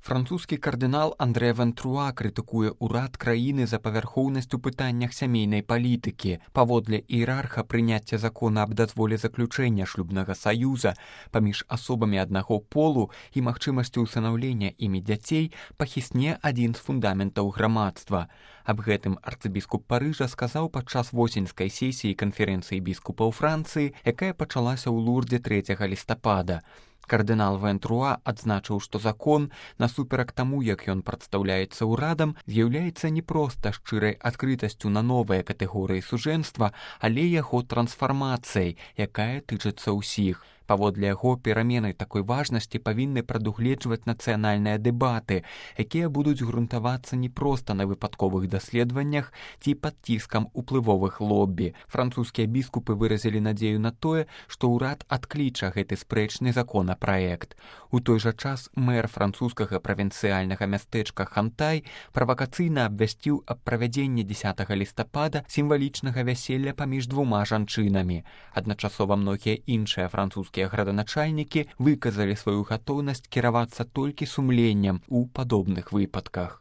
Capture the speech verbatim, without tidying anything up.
Французскі кардынал Андре Вентруа крытыкуе ўрад краіны за павярхоўнасць у пытаннях сямейнай палітыкі. Паводле іерарха прыняцце закона аб дазволе заключэння шлюбнага саюза паміж асобамі аднаго полу і магчымасцю ўсынаўлення імі дзяцей пахісне адзін з фундаментаў грамадства. Аб гэтым арцыбіскуп Парыжа сказаў падчас восеньскай сесіі канферэнцыі біскупаў Францыі, якая пачалася ў Лурдзе трэцяга лістапада. Кардынал Вентруа адзначыў, што закон, насуперак таму, як ён прадстаўляецца ўрадам, з'яўляецца не проста шчырай адкрытасцю на новыя катэгорыі сужэнства, але яго трансфармацыяй, якая тычыцца ўсіх. Паводле яго, перамены такой важнасці павінны прадугледжваць нацыянальныя дэбаты, якія будуць грунтавацца не проста на выпадковых даследаваннях ці пад ціскам уплывовых лоббі. Французскія біскупы выразілі надзею на тое, што ўрад адкліча гэты спрэчны законапраект. У той жа час мэр французскага правінцыяльнага мястэчка Хантай правакацыйна абвясціў аб правядзенні дзесятага лістапада сімвалічнага вяселля паміж двума жанчынамі. Адначасова многія іншыя французскія граданачальнікі выказалі сваю гатоўнасць кіравацца толькі сумленнем у падобных выпадках.